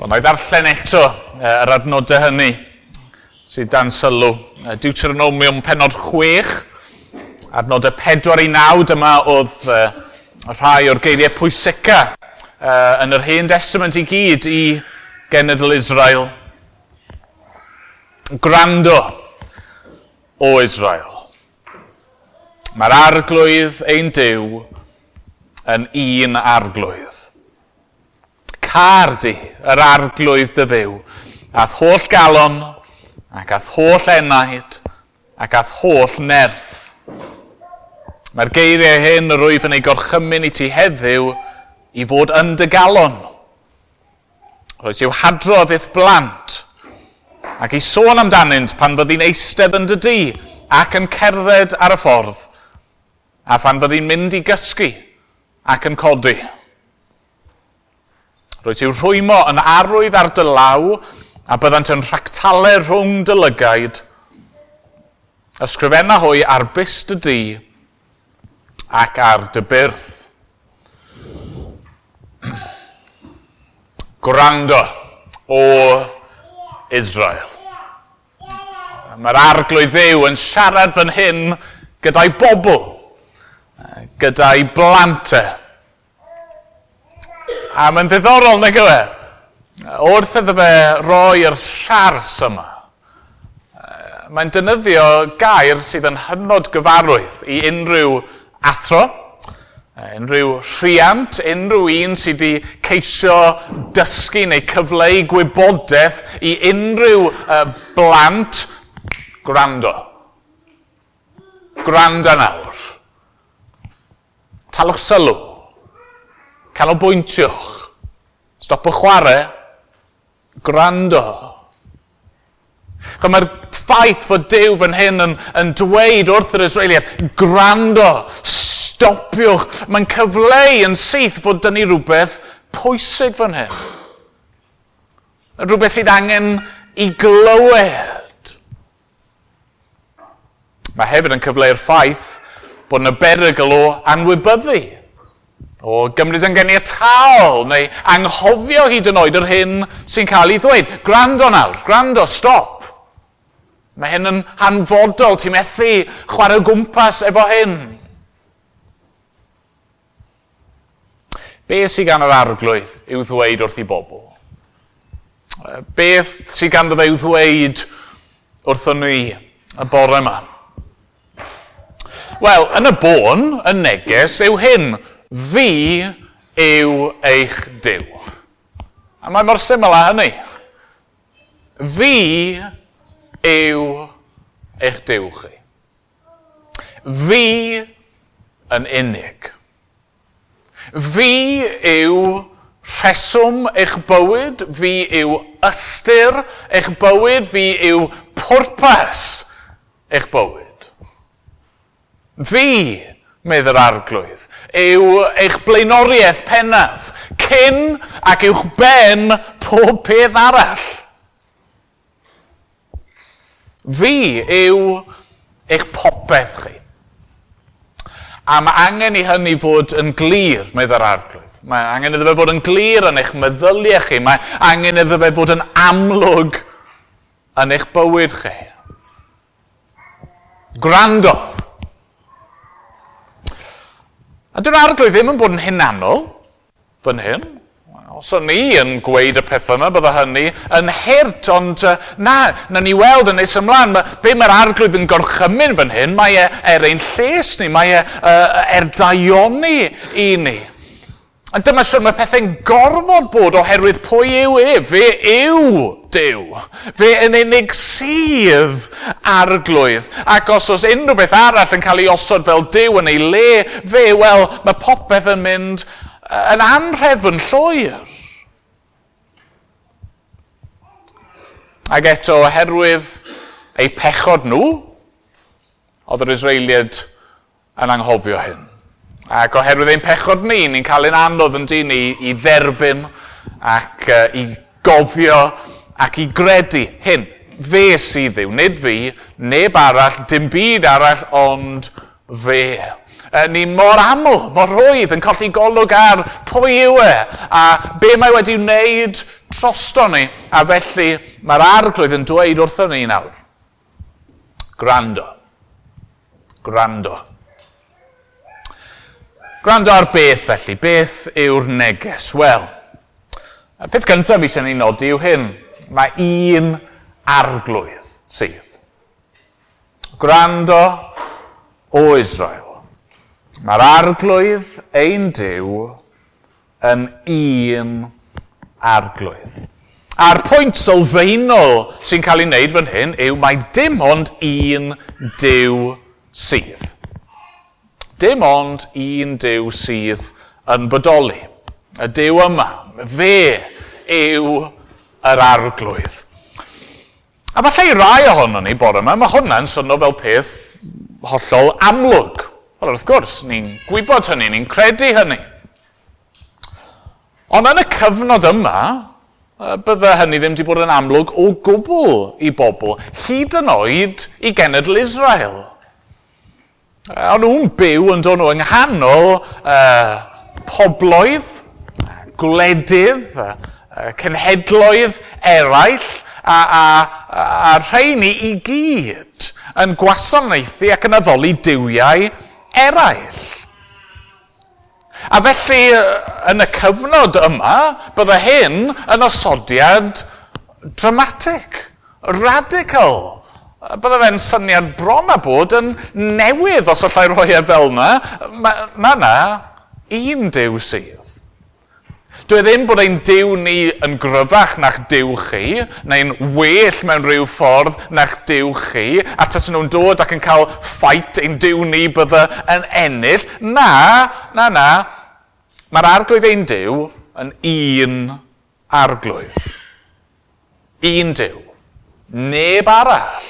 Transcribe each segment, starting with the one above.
Wel, na i ddarllen eto yr adnodau hynny sydd dan sylw. Deuteronomium pennod 6, adnodau 4 i 9, dyma oedd rhai o'r geiriau pwysica yn yr Hen Testament i gyd i genedl Israel. Gwrando o Israel. Mae'r arglwydd ein Duw yn un arglwydd. Car di yr arglwydd dy Dduw, a'th holl galon, ac a'th holl enaid, ac a'th holl nerth. Mae'r geiriau hyn yr wyf yn ei gorchymyn i ti heddiw i fod yn dy galon. Rhoes i'w hadrodd i'th blant, ac i sôn amdanynt pan fyddi'n eistedd yn dy dŷ ac yn cerdded ar y ffordd, a phan fyddi'n mynd i gysgu ac yn codi. Rwyt i'w rhwymo yn arwydd ar dy law, a byddant yn rhactalau rhwng dy lygaid. Ysgrifenna hwy ar byst dy dŷ ac ar dy byrth. Gwrando o Israel. Mae'r arglwydd Dduw yn siarad fan hyn gyda'i bobl, gyda'i blant e. A mae'n ddiddorol, nag yw e? Wrth iddo fe roi'r siars yma, mae'n defnyddio gair sydd yn hynod gyfarwydd i unrhyw athro, unrhyw rhiant, unrhyw un sydd wedi ceisio dysgu neu cyfleu gwybodaeth i unrhyw blant. Gwrando. Gwrando nawr. Talwch sylw. Canolbwyntiwch. Stopwch chwarae. Gwrando. Mae'r ffaith fod Duw fan hyn yn dweud wrth yr Israeliaid, gwrando, stopiwch. Mae'n cyfleu yn syth fod dyn ni rhywbeth pwysig fan hyn. Rhywbeth sydd angen i glywed. Mae hefyd yn cyfleu'r ffaith bod yna berygl o anwybyddu, o gymryd yn ganiataol neu anghofio hyd yn oed yr hyn sy'n cael ei ddweud. Gwrando nawr, gwrando, stop. Mae hyn yn hanfodol, ti'n methu chwarae o gwmpas efo hyn. Be sydd gan yr arglwydd i'w ddweud wrth i bobl? Beth sydd ganddo fe i'w ddweud wrthon ni y bore yma? Wel, yn y bôn, y neges yw hyn. Fi yw eich Duw. A mae mor syml â hynny. Fi yw eich Duw chi. Fi yn unig. Fi yw rheswm eich bywyd, fi yw ystyr eich bywyd, fi yw pwrpas eich bywyd. Fi, medd yr arglwydd, yw eich blaenoriaeth pennaf, cyn ac uwch ben pob peth arall. Fi yw eich popeth chi. A mae angen i hynny fod yn glir, medd yr arglwydd. Mae angen iddo fe fod yn glir yn eich meddyliau chi. Mae angen iddo fe fod yn amlwg yn eich bywyd chi. Gwrando. A dyw'r arglwydd ddim yn bod yn hunanol fan hyn. Os o'n i yn gweud y pethau yma, bydda hynny yn hurt, ond na ni weld yn nes ymlaen. Be mae'r arglwydd yn gorchymyn fan hyn, mae e er ein lles ni, mae e er daioni i ni. A dyma siwr mae pethau'n gorfod bod oherwydd pwy yw e? Fe yw Duw. Fe yn unig sydd arglwydd. Ac os oes unrhyw beth arall yn cael ei osod fel Duw yn ei le, fe, wel, mae popeth yn mynd yn anhrefn llwyr. Ac eto, oherwydd eu pechod nhw, oedd yr Israeliaid yn anghofio hyn. Ac oherwydd ein pechod ni, ni'n cael ein anodd yn dyn ni i dderbyn ac i gofio ac i gredu hyn. Fe sydd Dduw, nid fi, neb arall, dim byd arall, ond fe. Ni mor aml, mor rhwydd yn colli golwg ar pwy yw e a be mae wedi wneud drosto ni. A felly mae'r Arglwydd yn dweud wrthon ni nawr, gwrando, gwrando. Gwrando ar beth felly? Beth yw'r neges? Wel, y peth cyntaf eisiau ni nodi yw hyn. Mae un Arglwydd sydd. Gwrando o Israel. Mae'r Arglwydd ein Duw yn un Arglwydd. A'r pwynt sylfaenol sy'n cael ei wneud fan hyn yw mae dim ond un Duw sydd. Dim ond un Duw sydd yn bodoli. Y Duw yma, fe yw yr Arglwydd. A falle i rai ohonon ni bore yma, mae hwnna'n swnio fel peth hollol amlwg. Wel, wrth gwrs, ni'n gwybod hynny, ni'n credu hynny. Ond yn y cyfnod yma, bydde hynny ddim wedi bod yn amlwg o gwbl i bobl, hyd yn oed i genedl Israel. O'n nhw'n byw yn dod nhw yng nghanol pobloedd, gwledydd, cenhedloedd eraill, a rheini i gyd yn gwasanaethu ac yn addoli duwiau eraill. A felly, yn y cyfnod yma, bydde hyn yn osodiad dramatic, radical. Bydde fe'n syniad bron a bod yn newydd, os allai rhoi e fel yna. Na, un Duw sydd. Dwi ddim bod ein Duw ni yn gryfach na'ch Duw chi, neu'n well mewn rhyw ffordd na'ch Duw chi, a tasen nhw'n dod ac yn cael fight ein Duw ni bydde yn ennill. Na. Mae'r Arglwydd ein Duw yn un Arglwydd. Un Duw. Neb arall.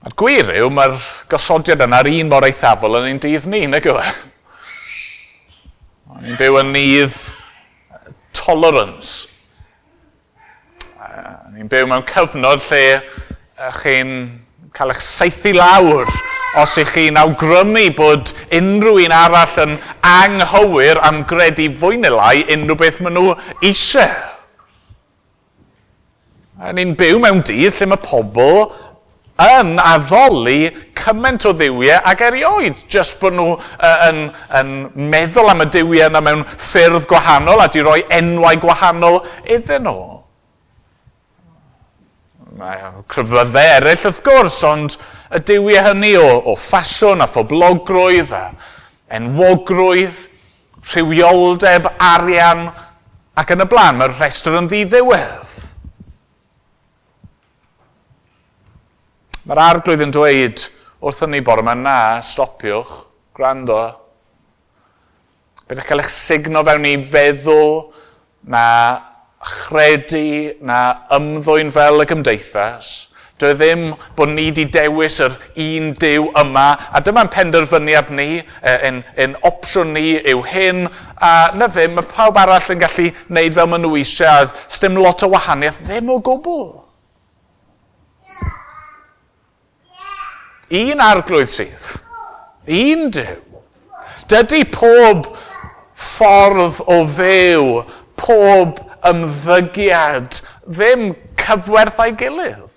A'r gwir yw, mae'r gosodiad yna'r un mor eithafol yn ein dydd ni, nag yw e? Ni'n byw yn nydd tolerance. Ni'n byw mewn cyfnod lle chi'n cael eich saethu lawr os ych chi'n awgrymu bod unrhyw un arall yn anghywir am gredu fwy neu lai unrhyw beth maen nhw eisiau. Ni'n byw mewn dydd lle mae pobl yn addoli cymaint o dduwiau ag erioed, jyst bod nhw yn meddwl am y duwiau yna mewn ffyrdd gwahanol a di roi enwau gwahanol iddyn nhw. Mae crefyddau eraill wrth gwrs, ond y duwiau hynny o ffasiwn a phoblogrwydd a enwogrwydd, rhywioldeb, arian ac yn y blaen, mae'r rhestr yn ddiddiwedd. Mae'r Arglwydd yn dweud wrthon ni bore yma, na, stopiwch, gwrando. Byddwch cael eich sugno fewn i feddwl, na chredu, na ymddwyn fel y gymdeithas. Dwi ddim bod ni wedi dewis yr un Duw yma, a dyma'n penderfyniad ni, ein opsiwn ni yw hyn, a na ddim, mae pawb arall yn gallu wneud fel maen nhw eisiau, a sdim lot o wahaniaeth, ddim o gwbl. Un Arglwydd sydd. Un Duw. Dydy pob ffordd o fyw, pob ymddygiad, ddim cyfwerth â'i gilydd.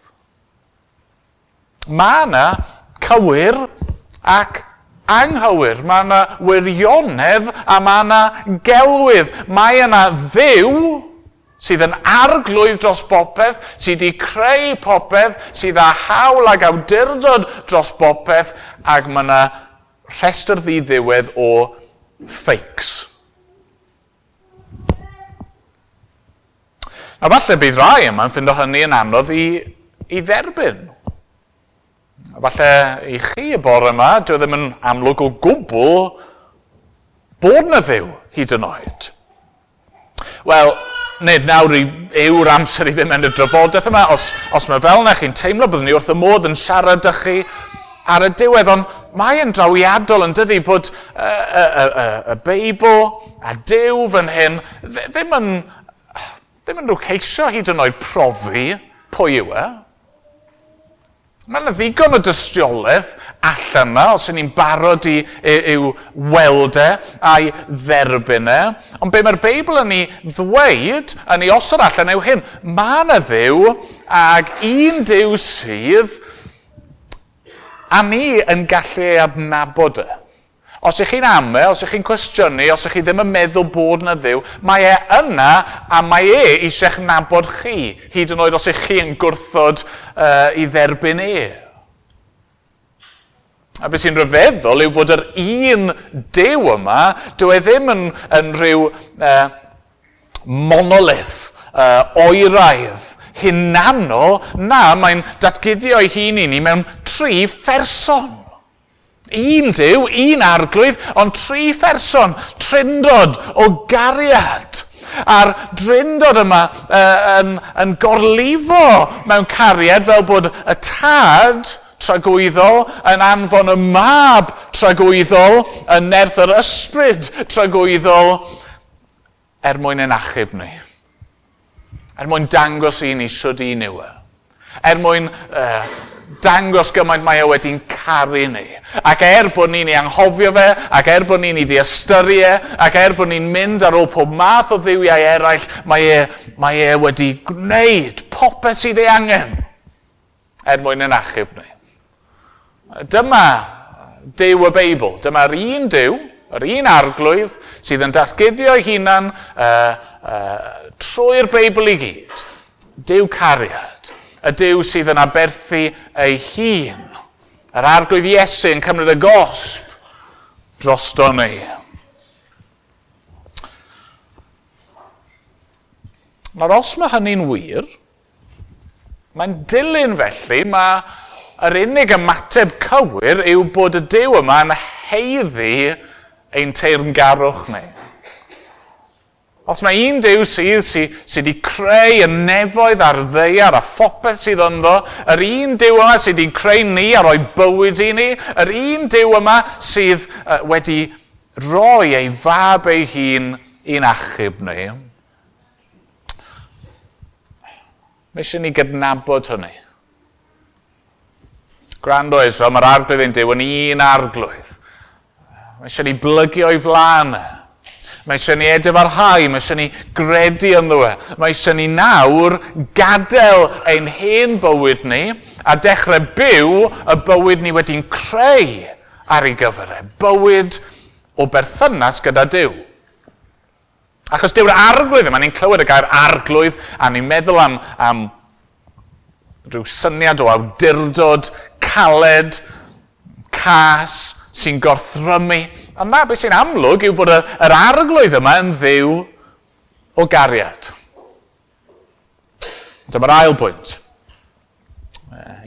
Mae yna cywir ac anghywir. Mae yna wirionedd a mae yna gelwydd. Mae yna Dduw sydd yn arglwydd dros bopeth, sydd wedi creu popeth, sydd â hawl ag awdurdod dros bopeth, ac mae yna rhestr ddiddiwedd o fakes. A falle bydd rai yma'n ffindo hynny yn anodd i dderbyn. A falle i chi y bore yma, dyw e ddim yn amlwg o gwbl bod na Dduw hyd yn oed. Wel, nid nawr yw'r amser i fynd mewn i'r drafodaeth yma. Os mae fel yna chi'n teimlo, byddwn ni wrth y modd yn siarad â chi ar y diwedd, ond mae'n drawiadol yn dydi bod y Beibl a Duw fan hyn ddim yn rhyw ceisio hyd yn oed profi pwy yw e. Mae yna ddigon o dystiolaeth allan yma, os ydyn ni'n barod i'w weld e a'i dderbyn e. Ond be mae'r Beibl yn ei ddweud, yn ei osod allan yw hyn. Mae yna Dduw ag un Duw sydd, a ni yn gallu ei adnabod e. Os ych chi'n ame, os ych chi'n cwestiynu, os ych chi ddim yn meddwl bod yna Dduw, mae e yna a mae e eisiau'ch nabod chi, hyd yn oed os ych chi yn gwrthod i dderbyn e. A beth sy'n rhyfeddol yw fod yr un Duw yma, dyw e ddim yn rhyw monolith, oeraidd, hunanol, na, mae'n datguddio ei hun i ni mewn tri pherson. Un Duw, un arglwydd, ond tri pherson, trindod o gariad. A'r drindod yma yn gorlifo mewn cariad fel bod y tad tragwyddol yn anfon y mab tragwyddol, yn nerth yr ysbryd tragwyddol, er mwyn ein achub ni. Er mwyn dangos i ni shwd un yw e. Er mwyn dangos gymaint mae e wedi'n caru ni. Ac er bod ni'n ei anghofio fe, ac er bod ni'n ei ddiystyru e, ac er bod ni'n mynd ar ôl pob math o dduwiau eraill, mae e wedi gwneud popeth sydd ei angen er mwyn ein achub ni. Dyma Duw y Beibl. Dyma'r un Duw, yr un arglwydd, sydd yn datguddio ei hunan trwy'r Beibl i gyd. Duw cariad. Y Duw sydd yn aberthu ei hun. Yr arglwydd Iesu yn cymryd y gosb drosto ni. Nawr, os mae hynny'n wir, mae'n dilyn felly, mae yr unig ymateb cywir yw bod y Duw yma yn haeddu ein teyrngarwch ni. Os mae un Duw sydd wedi creu y nefoedd a'r ddaear a phopeth sydd ynddo, yr un Duw yma sydd wedi creu ni a rhoi bywyd i ni, yr un Duw yma sydd wedi rhoi ei fab ei hun i'n achub ni. Mae eisiau ni gydnabod hynny. Gwrando Israel, mae'r arglwydd ein Duw yn un arglwydd. Mae eisiau ni blygu o'i flaen. Mae eisiau ni edifarhau, mae eisiau ni gredu ynddo fe. Mae eisiau ni nawr gadael ein hen bywyd ni a dechrau byw y bywyd ni wedi'n creu ar ei gyfer e. Bywyd o berthynas gyda Duw. Achos dyw'r arglwydd yma, ni'n clywed y gair arglwydd a ni'n meddwl am rhyw syniad o awdurdod, caled, cas, sy'n gorthrymu. A na, beth sy'n amlwg yw fod yr arglwydd yma yn Dduw o gariad. Dyma'r ail bwynt.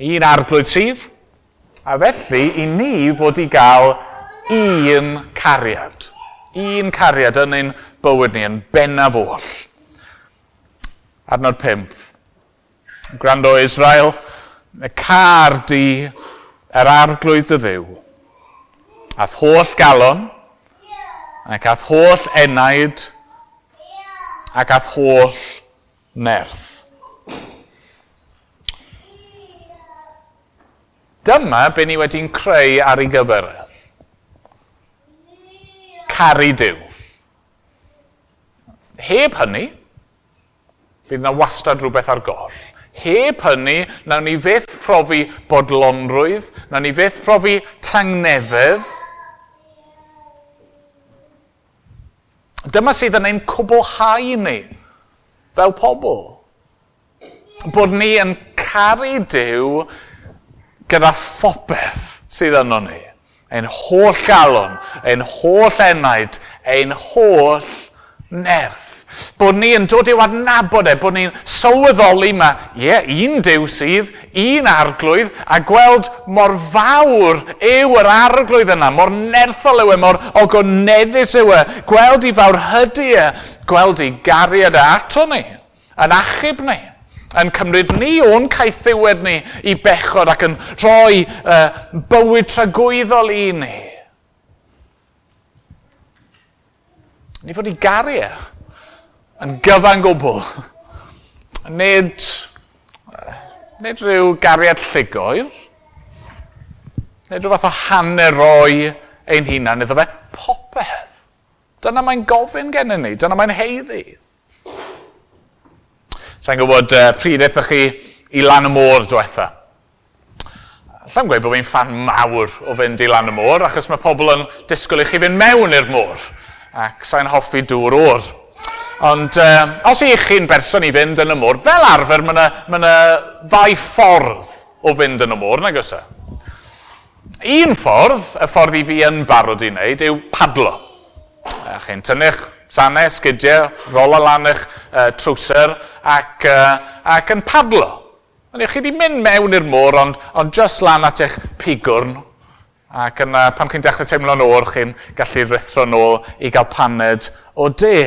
Un arglwydd sydd, a felly i ni fod i gael un cariad. Un cariad yn ein bywyd ni, yn bennaf oll. Adnod 5. Gwrando Israel, y car di yr arglwydd dy Dduw, a'th holl galon, ac a'th holl enaid, ac a'th holl nerth. Dyma be ni wedi'n creu ar ei gyfer. Caru Duw. Heb hynny, bydd yna wastad rhywbeth ar goll. Heb hynny, nawn ni fyth profi bodlonrwydd, nawn ni fyth profi tangnefedd. Dyma sydd yn ein cwblhau ni, fel pobl. Bod ni yn caru Duw gyda phopeth sydd yno ni. Ein holl galon, ein holl enaid, ein holl nerth. Bod ni yn dod i'w adnabod e, bod ni'n sylweddoli ma, ie, un Duw sydd, un arglwydd, a gweld mor fawr yw yr arglwydd yna, mor nerthol yw e, mor ogoneddus yw e, gweld i fawrhydi e, gweld i gariad e ato ni, yn achub ni, yn cymryd ni o'n caethiwed ni i bechod ac yn rhoi bywyd tragwyddol i ni. Ni fod i garu e yn gyfan gwbl. Nid rhyw gariad llugoer, Neu rhyw fath o hanner roi ein hunan iddo fe, popeth. Dyna mae'n gofyn gennym ni, dyna mae'n haeddu. Sa'n gwybod pryd aethoch chi i lan y môr diwetha. Allai'm gweud bod fi'n ffan mawr o fynd i lan y môr, achos mae pobl yn disgwyl i chi fynd mewn i'r môr, ac sa'n hoffi dŵr oer. Ond os ych chi'n berson i fynd yn y môr, fel arfer mae yna ddau ffordd o fynd yn y môr, nag oes e? Un ffordd, y ffordd i fi yn barod i wneud, yw padlo. Chi'n tynnu'ch sanau, sgidiau, rola lan eich trwser ac yn padlo. Ond chi wedi mynd mewn i'r môr, ond just lan at eich pigwrn. Ac yna, pan chi'n dechrau teimlo'n oer, chi'n gallu rhuthro nôl i gael paned o de.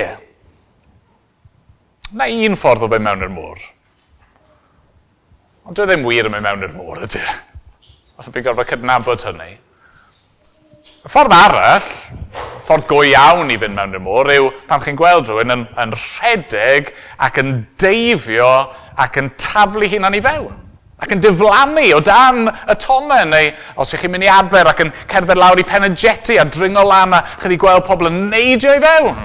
Na un ffordd o fynd mewn i'r môr. Ond dwi ddim wir yn mynd mewn i'r môr, ydy. Ond fi'n gorfod cydnabod hynny. Y ffordd arall, ffordd go iawn i fynd mewn i'r môr, yw pan chi'n gweld rhywun yn rhedeg ac yn deifio ac yn taflu hunan i fewn. Ac yn diflannu o dan y tomen, neu os ych chi'n mynd i Aber ac yn cerdded lawr i pen y jetty a dringo lan a chi wedi gweld pobl yn neidio i fewn.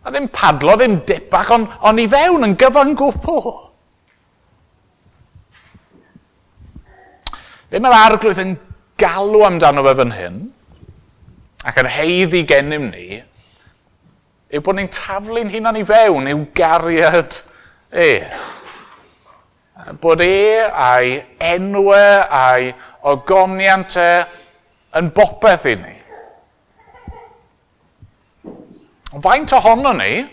A ddim padlo, ddim dipach, ond i fewn yn gyfan gwbl. Be mae'r Arglwydd yn galw amdano fe fan hyn, ac yn haeddu gennym ni, yw bod ni'n taflu'n hunan i fewn i'w gariad e. Bod e a'i enwau a'i ogoniant e yn bopeth i ni. Faint ohono ni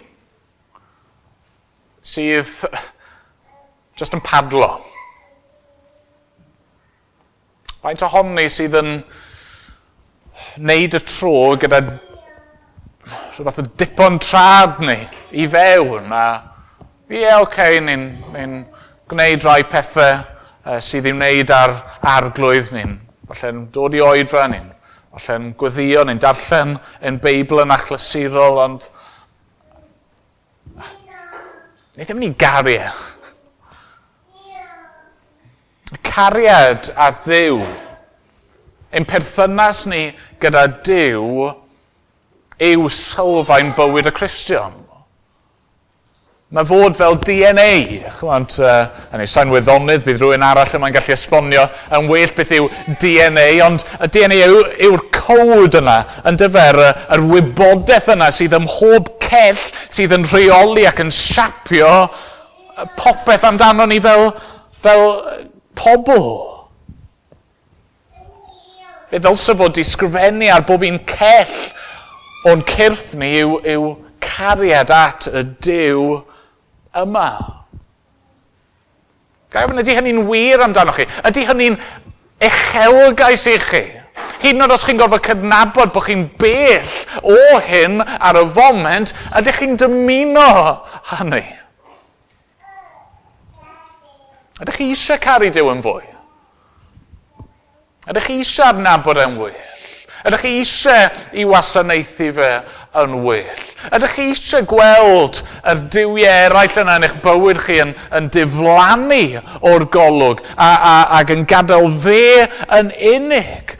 sydd just yn padlo? Faint ohono ni sydd yn wneud y tro gyda rhyw fath o dipon trad ni i fewn a ie, oce, ni'n gwneud rhai pethau sydd i'w wneud ar Arglwydd ni'n falle'n dod i oedfa ni'n falle'n gweddio, ni'n darllen ein Beibl yn achlysurol, ond ni ddim yn ei garu e. Cariad at Dduw, ein perthynas ni gyda Duw, yw sylfaen bywyd y Cristion. Mae fod fel DNA, chymod, sa'n wyddonydd, bydd rhywun arall yma'n gallu esbonio yn well beth yw DNA, ond y DNA yw'r cod yna, yn dyfer, yr wybodaeth yna sydd ym mhob cell sydd yn rheoli ac yn siapio popeth amdano ni fel pobl. Be ddylse fod di sgrifennu ar bob un cell o'n cyrff ni yw cariad at y Duw yma. Ga i ofyn, ydy hynny'n wir amdanoch chi? Ydy hynny'n uchelgais i chi? Hyd yn oed os chi'n gorfod cydnabod bod chi'n bell o hyn ar y foment, ydych chi'n dymuno hynny? Ydych chi eisiau caru Duw yn fwy? Ydych chi eisiau adnabod e'n well? Ydych chi eisiau i wasanaethu fe yn well? Ydych chi eisiau gweld yr duwiau eraill yna yn eich bywyd chi yn diflannu o'r golwg ac yn gadael fe yn unig?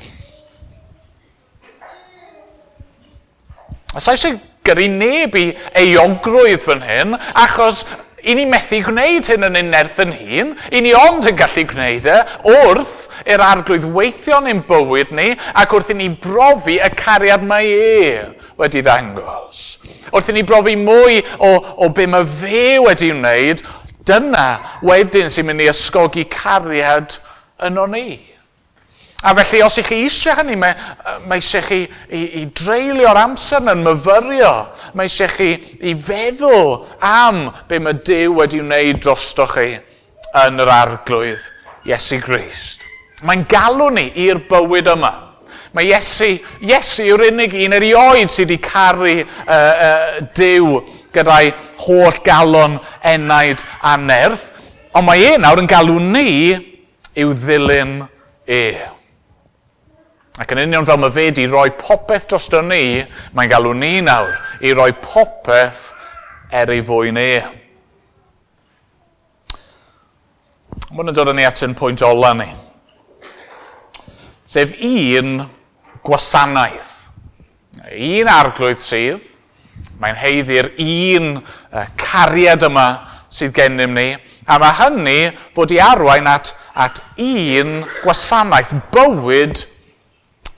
A sa eisiau gyrru neb i euogrwydd fan hyn, achos i ni methu gwneud hyn yn ein nerth yn hun, i ni ond yn gallu gwneud e wrth i'r Arglwydd weithio yn ein bywyd ni ac wrth i ni brofi y cariad mae e wedi ddangos. Wrth i ni brofi mwy o be mae fe wedi wneud, dyna wedyn sy'n mynd i ysgogi cariad yno ni. A felly, os ych chi eisiau hynny, mae eisiau chi i dreulio'r amser yn myfyrio. Mae eisiau chi i feddwl am be mae Duw wedi wneud drostoch chi yn yr Arglwydd Iesu Grist. Mae'n galw ni i'r bywyd yma. Mae Iesu yw'r unig un erioed sydd wedi caru Duw gyda'i holl galon, enaid a nerth. Ond mae e nawr yn galw ni i'w ddilyn e. Ac yn union fel mae fe wedi rhoi popeth drosto ni, mae'n galw ni nawr i roi popeth er ei fwyn e. Mae hwn yn dod â ni at ein pwynt ola ni. Sef un gwasanaeth. Un arglwydd sydd, mae'n haeddu'r un cariad yma sydd gennym ni, a mae hynny fod i arwain at un gwasanaeth, bywyd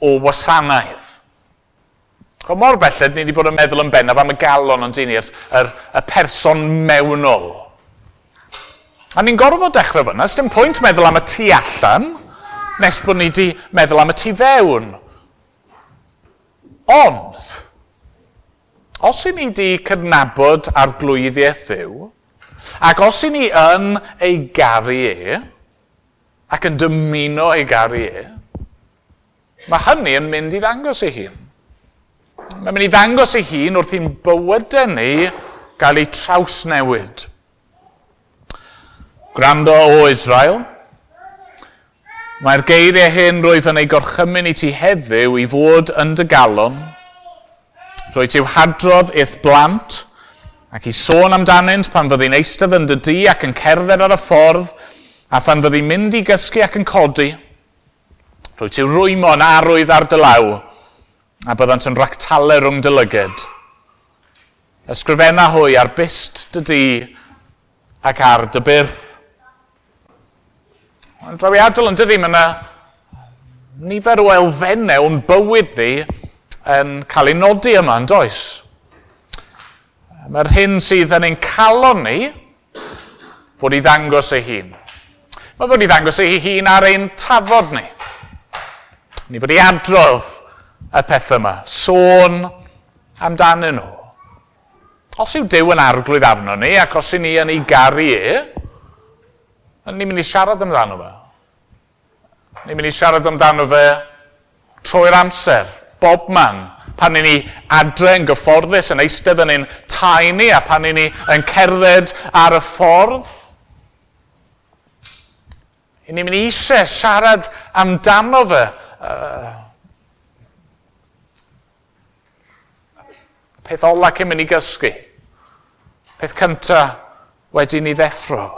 o wasanaeth. Chwa mor belled, ni wedi bod yn meddwl yn bennaf am y galon ond ni, y person mewnol. A ni'n gorfod dechrau fyna, sdim pwynt meddwl am y tu allan, nes bod ni wedi meddwl am y tu fewn. Ond, os i ni wedi cydnabod arglwyddiaeth Dduw, ac os i ni yn ei garu e, ac yn dymuno ei garu e, mae hynny yn mynd i ddangos ei hun. Mae'n mynd i ddangos ei hun wrth i'n bywydau ni gael ei trawsnewid. Gwrando o Israel, mae'r geiriau hyn rwyf yn ei gorchymyn i ti heddiw i fod yn dy galon, rwy ti'w hadrodd i'th blant, ac i sôn amdanynt pan fyddi'n eistedd yn dy dŷ ac yn cerdded ar y ffordd, a phan fyddi'n mynd i gysgu ac yn codi. Rwy ti'w rwymo yn arwydd ar dy law, a byddant yn ractalau rhwng dy lyged. Ysgrifenna hwy ar byst dy dŷ ac ar dy byrth. Mae'n drawiadol yn dydi, mae yna nifer o elfennau o'n bywyd ni yn cael ei nodi yma, yn does? Mae'r hyn sydd yn ein calon ni fod i ddangos ei hun. Mae fod i ddangos ei hun ar ein tafod ni. Ni fod i adrodd y pethau yma, sôn amdanyn nhw. Os yw Duw yn arglwydd arno ni, ac os y'n ni yn ei garu e, ni'n mynd i siarad amdano fe. Ni'n mynd i siarad amdano fe trwy'r amser, bob man. Pan ni'n ni adre yn gyfforddus, yn eistedd yn ein tai ni, a pan ni'n ni yn cerdded ar y ffordd. Ni'n mynd i eisiau siarad amdano fe. Peth ola cyn mynd i gysgu. Peth cynta wedi ni ddeffro.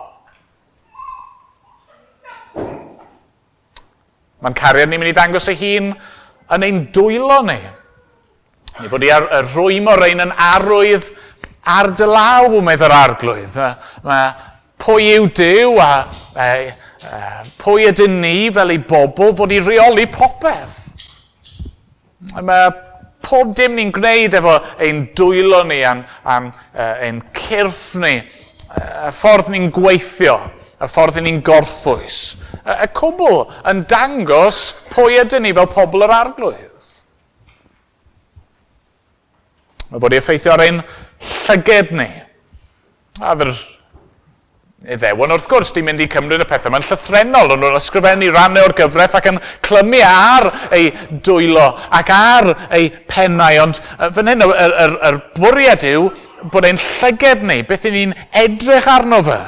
Mae'n cariad ni'n mynd i ddangos ei hun yn ein dwylo ni. Ni fod i rwymo rein yn arwydd ar dy law, medd yr arglwydd. Mae pwy yw Duw a pwy ydyn ni fel ei bobl fod i reoli popeth. Mae pob dim ni'n gwneud efo ein dwylo ni a'n ein cyrff ni, y ffordd ni'n gweithio, y ffordd ni'n gorffwys. Y cwbl yn dangos pwy ydyn ni fel pobl yr arglwydd. Mae bod i effeithio ar ein llyged ni. A fy'r Iddewon wrth gwrs di mynd i cymryd y pethau yma'n llythrennol. O'n nhw'n ysgrifennu rannau o'r gyfraith ac yn clymu ar ei dwylo ac ar ei pennau. Ond fan hyn, yr bwriad yw bod ein llyged ni, beth y'n ni'n edrych arno fe,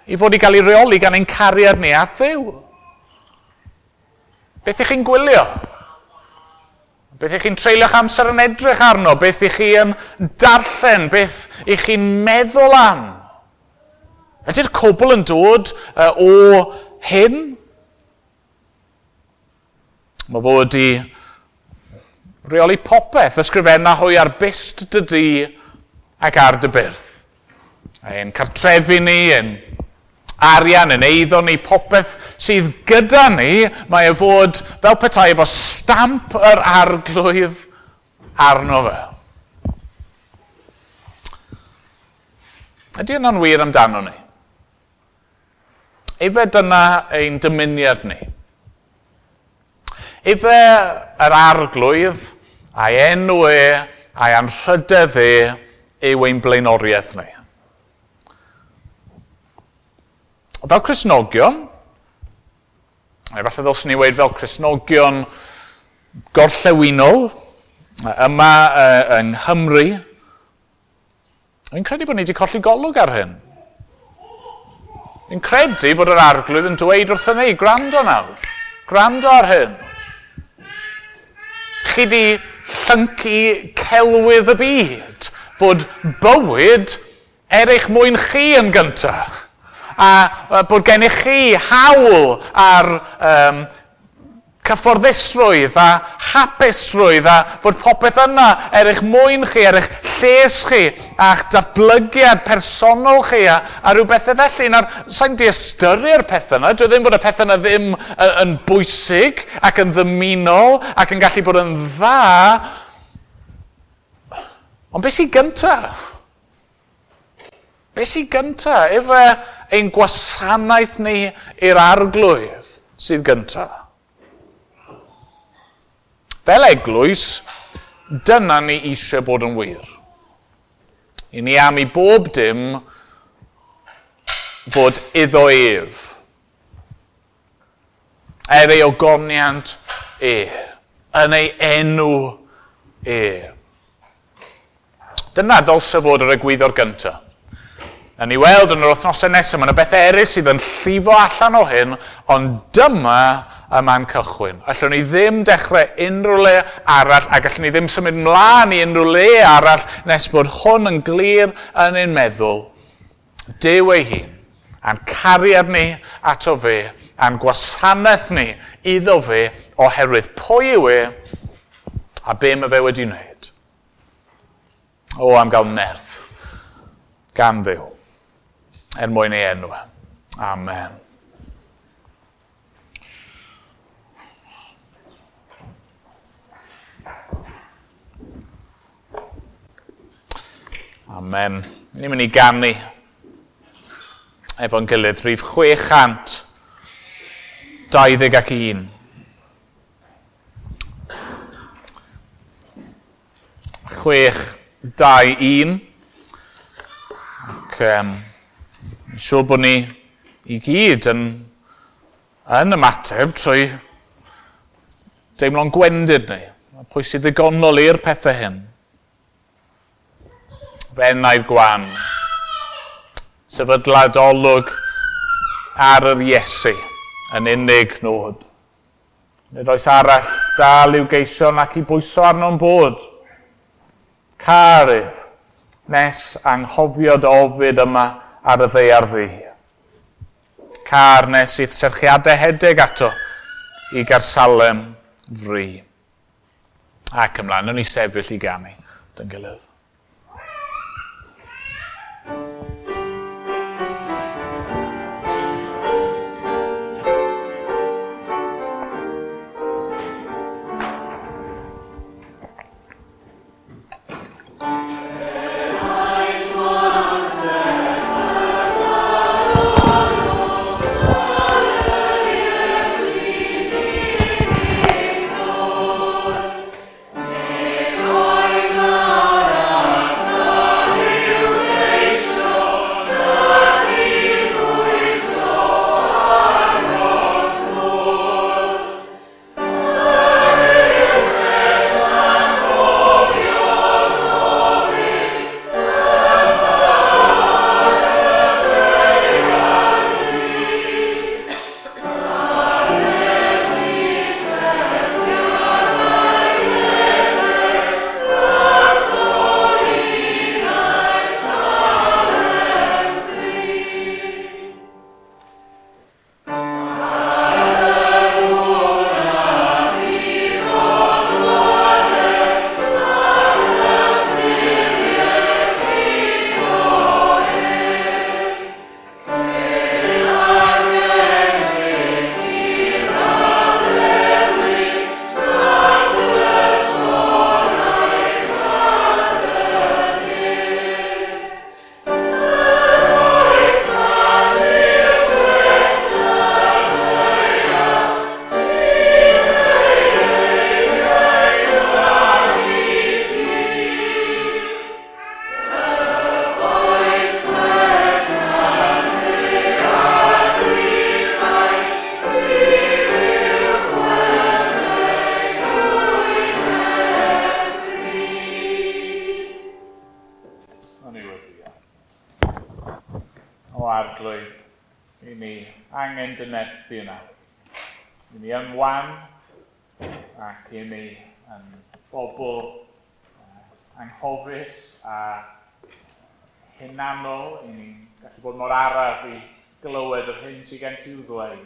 i fod i gael ei reoli gan ein cariad ni at Dduw. Beth ych chi'n gwylio? Beth ych chi'n treulio'ch amser yn edrych arno? Beth ych chi yn darllen? Beth ych chi'n meddwl am? Ydy'r cwbl yn dod o hyn? Mae fod i reoli popeth, ysgrifenna hwy ar byst dy dŷ ac ar dy byrth. Ein cartrefi ni, ein arian, ein eiddo ni, popeth sydd gyda ni, mae e fod fel petai efo stamp yr arglwydd arno fe. Ydy yna'n wir amdano ni? Efe dyna ein dymuniad ni. Efe yr arglwydd a'i enw e, a'i anrhydedd e yw ein blaenoriaeth ni. Fel Cristnogion, efallai ddylswn ni weud fel Cristnogion gorllewinol, yma yng Nghymru, dwi'n credu bod ni wedi colli golwg ar hyn. Dwi'n credu fod yr arglwydd yn dweud wrthyn ni, gwrando nawr, gwrando ar hyn. Chi di llyncu celwydd y byd, fod bywyd er eich mwyn chi yn gyntaf. A bod gennych chi hawl ar cyfforddusrwydd a hapusrwydd a fod popeth yna er eich mwyn chi, er eich lles chi, a'ch datblygiad personol chi a rhyw bethau felly. Nawr, sa'n diystyru'r pethau yna. Dwi ddim bod y pethau yna ddim yn bwysig ac yn ddymunol ac yn gallu bod yn dda. Ond beth sy'n gyntaf? Beth sy'n gyntaf? Efe ein gwasanaeth ni i'r Arglwydd sydd gyntaf. Fel eglwys, dyna ni eisiau bod yn wir. I ni am i bob dim fod iddo ef. Er ei ogoniant e. Yn ei enw e. Dyna ddylse fod yr egwyddor gyntaf. A ni weld yn yr wythnosau nesaf, mae yna bethau eraill sydd yn llifo allan o hyn, ond dyma y man cychwyn. Allwn ni ddim dechrau unrhyw le arall, ac allwn ni ddim symud mlaen i unrhyw le arall nes bod hwn yn glir yn ein meddwl. Duw ei hun, a'n cariad ni ato fe, a'n gwasanaeth ni iddo fe, oherwydd pwy yw e, a be mae fe wedi wneud. O, am gael nerth gan Dduw, er mwyn ei enw. Amen. Amen. Ni'n mynd i ganu efo'n gilydd rhif 621. 621. Ac yn siŵr bod ni i gyd yn ymateb trwy deimlo'n gwendid ni. Pwy sydd ddigonol i'r pethau hyn? Fenai'r gwan. Sefydlad olwg ar yr Iesu yn unig nod. Nid oes arall dal i'w geisio nac i bwyso arno'n bod. Car ef, nes anghofio dy ofid yma ar y ddaear ddu. Car nes i'th serchiadau hedeg ato i Garsalem fri. Ac ymlaen, wnawn ni sefyll i ganu dyn gilydd. I ni yn wan ac i ni yn bobl anghofus a hunanol, i ni'n gallu bod mor araf i glywed yr hyn sydd gen ti i'w ddweud.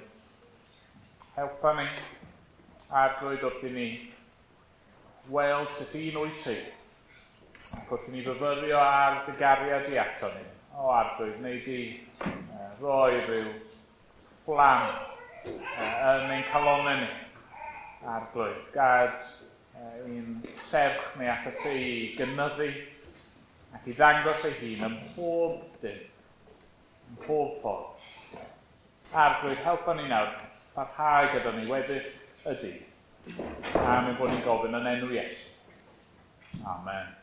Helpa ni Arglwydd, wrth i ni weld sut un wyt ti, ac wrth i ni fyfyrio ar dy gariad di ato ni, o Arglwydd, wnei di roi rhyw fflam yn ein calonnau ni. Arglwydd, gad ein serch ni atat ti i gynyddu ac i ddangos ei hun ym mhob dim, ym mhob ffordd. Arglwydd, helpa ni nawr parhau gyda ni weddill y dydd. Am ein bod ni'n gofyn yn enw Iesu. Amen.